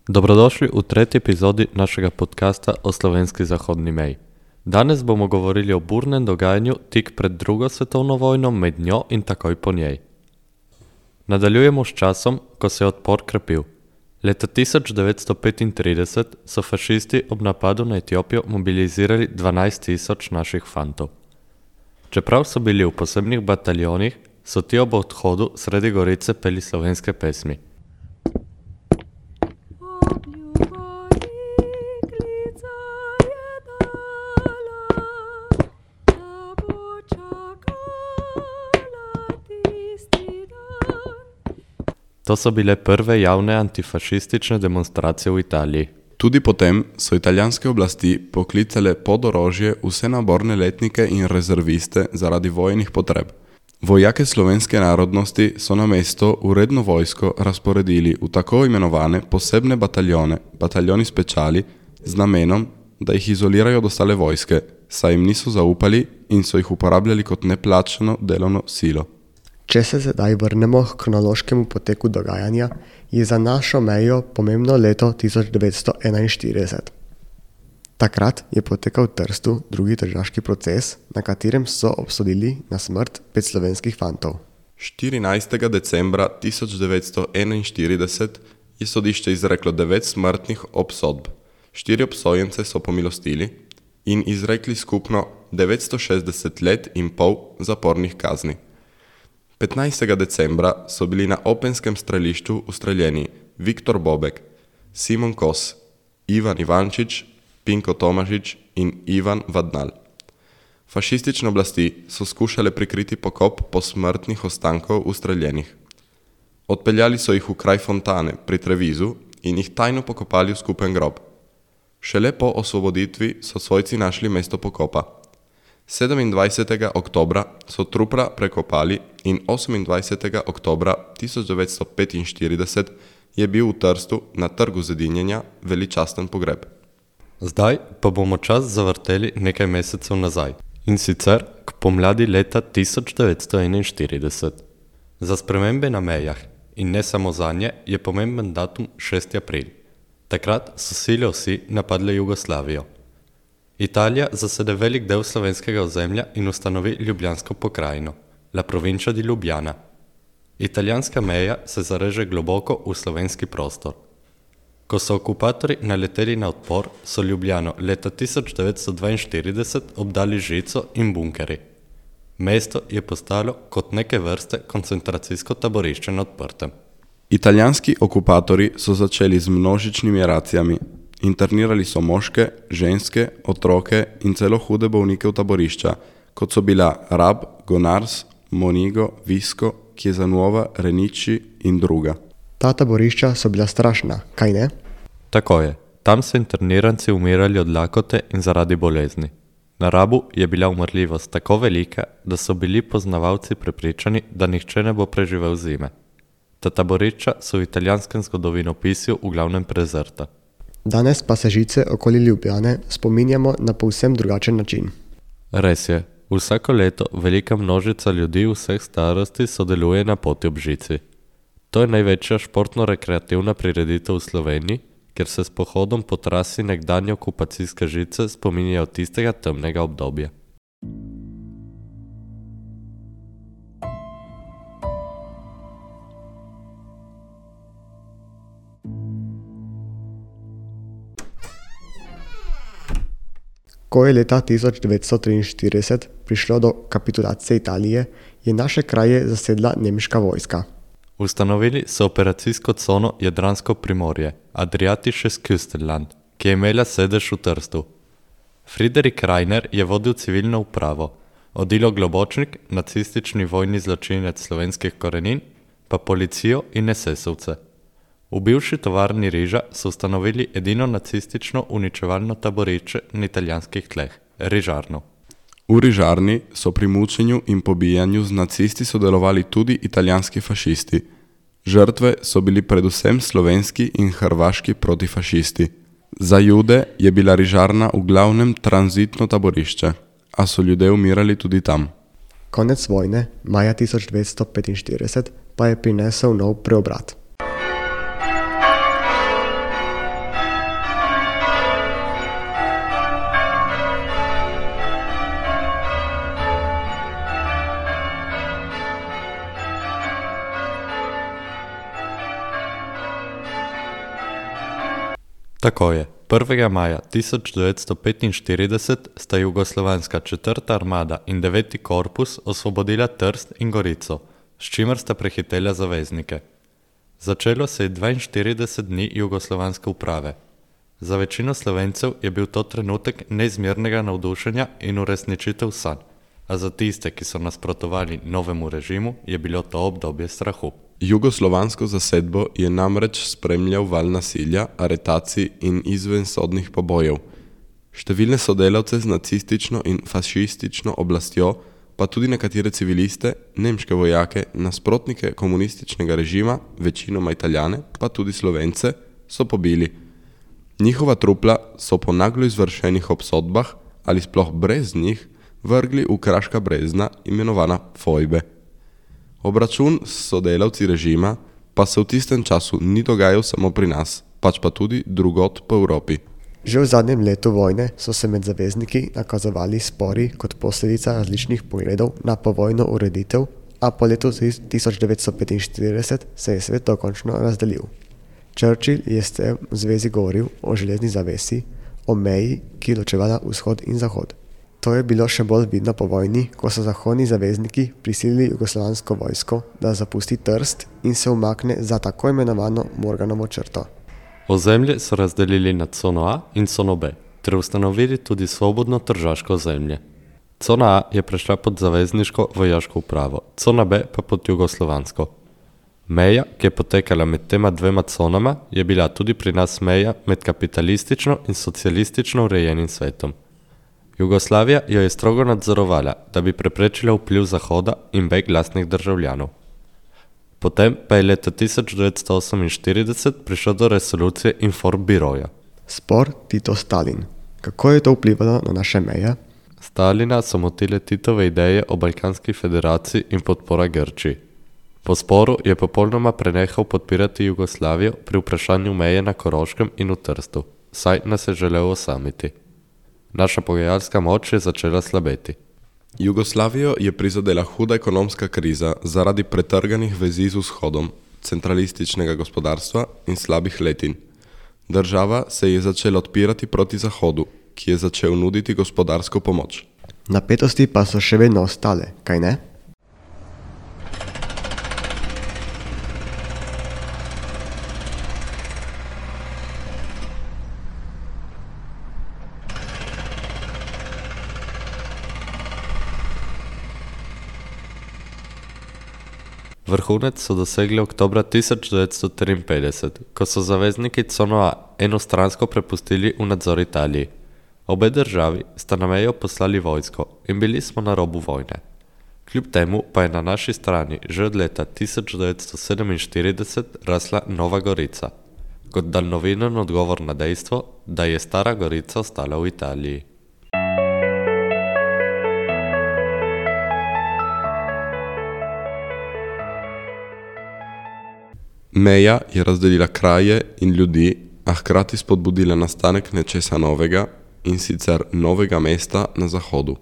Dobrodošli v tretji epizodi našega podcasta o slovenski zahodni meji. Danes bomo govorili o burnem dogajanju tik pred drugo svetovno vojno, med njo in takoj po njej. Nadaljujemo s časom, ko se je odpor krepil. Leta 1935 so fašisti ob napadu na Etiopijo mobilizirali 12.000 naših fantov. Čeprav so bili v posebnih bataljonih, so ti ob odhodu sredi Gorice peli slovenske pesmi. To so bile prve javne antifašistične demonstracije v Italiji. Tudi potem so italijanske oblasti poklicale pod orožje vse naborne letnike in rezerviste zaradi vojnih potreb. Vojake slovenske narodnosti so na mesto v redno vojsko razporedili v tako imenovane posebne bataljone, bataljoni speciali, z namenom, da jih izolirajo od ostale vojske, saj jim niso zaupali in so jih uporabljali kot neplačano delovno silo. Če se zdaj vrnemo k kronološkemu poteku dogajanja, je za našo mejo pomembno leto 1941. Takrat je potekal v Trstu drugi tržaški proces, na katerem so obsodili na smrt 5 slovenskih fantov. 14. decembra 1941 je sodišče izreklo 9 smrtnih obsodb. 4 obsojence so pomilostili in izrekli skupno 960 let in pol zapornih kazni. 15. decembra so bili na Openskem strelišču ustreljeni Viktor Bobek, Simon Kos, Ivan Ivančič, Pinko Tomažič in Ivan Vadnal. Fašistične oblasti so skušale prikriti pokop posmrtnih ostankov ustreljenih. Odpeljali so jih v kraj Fontane pri Trevizu in jih tajno pokopali v skupen grob. Šele po osvoboditvi so svojci našli mesto pokopa. 27. oktobra so trupla prekopali in 28. oktobra 1945 je bil v Trstu na Trgu zedinjenja veličasten pogreb. Zdaj pa bomo čas zavrteli nekaj mesecev nazaj, in sicer k pomladi leta 1941. Za spremembe na mejah in ne samo zanje je pomemben datum 6. april. Takrat so sile osi napadle Jugoslavijo. Italija zasede velik del slovenskega ozemlja in ustanovi Ljubljansko pokrajino, La Provincia di Lubiana. Italijanska meja se zareže globoko v slovenski prostor. Ko so okupatorji naleteli na odpor, so Ljubljano leta 1942 obdali žico in bunkeri. Mesto je postalo kot neke vrste koncentracijsko taborišče na odprtem. Italijanski okupatorji so začeli z množičnimi racijami. Internirali so moške, ženske, otroke in celo hude bolnike v taborišča, kot so bila Rab, Gonars, Monigo, Visko, Chiesa-Nuova, Renici in druga. Ta taborišča so bila strašna, kaj ne? Tako je. Tam so interniranci umirali od lakote in zaradi bolezni. Na Rabu je bila umrljivost tako velika, da so bili poznavalci prepričani, da nihče ne bo preživel zime. Ta taborišča so v italijanskem zgodovinopisju v glavnem prezrta. Danes pa se žice okoli Ljubljane spominjamo na povsem drugačen način. Res je. Vsako leto velika množica ljudi vseh starosti sodeluje na poti ob žici. To je največja športno-rekreativna prireditev v Sloveniji, ker se s pohodom po trasi nekdanje okupacijske žice spominjajo tistega temnega obdobja. Ko je leta 1943 prišlo do kapitulacije Italije, je naše kraje zasedla nemška vojska. Ustanovili so operacijsko cono Jadransko primorje, Adriatisches Küstenland, ki je imela sedež v Trstu. Friedrich Rainer je vodil civilno upravo, Odilo Globočnik, nacistični vojni zločinec slovenskih korenin, pa policijo in esesovce. V bivši tovarni riža so ustanovili edino nacistično uničevalno taborišče na italijanskih tleh, Rižarno. V Rižarni so pri mučenju in pobijanju z nacisti sodelovali tudi italijanski fašisti. Žrtve so bili predvsem slovenski in hrvaški protifašisti. Za Jude je bila Rižarna v glavnem tranzitno taborišče, a so ljudje umirali tudi tam. Konec vojne, maja 1945, pa je prinesel nov preobrat. Tako je, 1. maja 1945 sta jugoslovanska 4. armada in 9. korpus osvobodila Trst in Gorico, s čimer sta prehitela zaveznike. Začelo se je 42 dni jugoslovanske uprave. Za večino Slovencev je bil to trenutek neizmernega navdušenja in uresničitev sanj, a za tiste, ki so nasprotovali novemu režimu, je bilo to obdobje strahu. Jugoslovansko zasedbo je namreč spremljal val nasilja, aretacij in izvensodnih pobojev. Številne sodelavce z nacistično in fašistično oblastjo, pa tudi nekatere civiliste, nemške vojake, nasprotnike komunističnega režima, večinoma Italijane, pa tudi Slovence, so pobili. Njihova trupla so po naglo izvršenih obsodbah ali sploh brez njih vrgli v kraška brezna, imenovana fojbe. Obračun s sodelavci režima pa se v tistem času ni dogajal samo pri nas, pač pa tudi drugod po Evropi. Že v zadnjem letu vojne so se med zavezniki nakazovali spori kot posledica različnih pogledov na povojno ureditev, a po letu 1945 se je svet dokončno razdelil. Churchill je s tem v zvezi govoril o železni zavesi, o meji, ki je ločevala vzhod in zahod. To je bilo še bolj vidno po vojni, ko so zahodni zavezniki prisilili jugoslovansko vojsko, da zapusti Trst in se umakne za tako imenovano Morganovo črto. Ozemlje so razdelili na cono A in cono B, ter ustanovili tudi svobodno tržaško ozemlje. Cona A je prešla pod zavezniško vojaško upravo, cona B pa pod jugoslovansko. Meja, ki je potekala med tema dvema conama, je bila tudi pri nas meja med kapitalistično in socialistično urejenim svetom. Jugoslavija jo je strogo nadzorovala, da bi preprečila vpliv Zahoda in beg lastnih državljanov. Potem pa je leta 1948 prišlo do resolucije Informbiroja. Spor Tito-Stalin. Kako je to vplivalo na naše meje? Stalina so motile Titove ideje o Balkanski federaciji in podpora Grčiji. Po sporu je popolnoma prenehal podpirati Jugoslavijo pri vprašanju meje na Koroškem in v Trstu, saj nas je želel osamiti. Naša pogajalska moč je začela slabeti. Jugoslavijo je prizadela huda ekonomska kriza zaradi pretrganih vezi z vzhodom, centralističnega gospodarstva in slabih letin. Država se je začela odpirati proti Zahodu, ki je začel nuditi gospodarsko pomoč. Napetosti pa so še vedno ostale, kaj ne? Vrhunec so dosegli oktobra 1953, ko so zavezniki cono A enostransko prepustili v nadzor Italiji. Obe državi sta na mejo poslali vojsko in bili smo na robu vojne. Kljub temu pa je na naši strani že od leta 1947 rasla Nova Gorica, kot daljnoviden odgovor na dejstvo, da je Stara Gorica ostala v Italiji. Meja je razdelila kraje in ljudi, a hkrati spodbudila nastanek nečesa novega, in sicer novega mesta na Zahodu.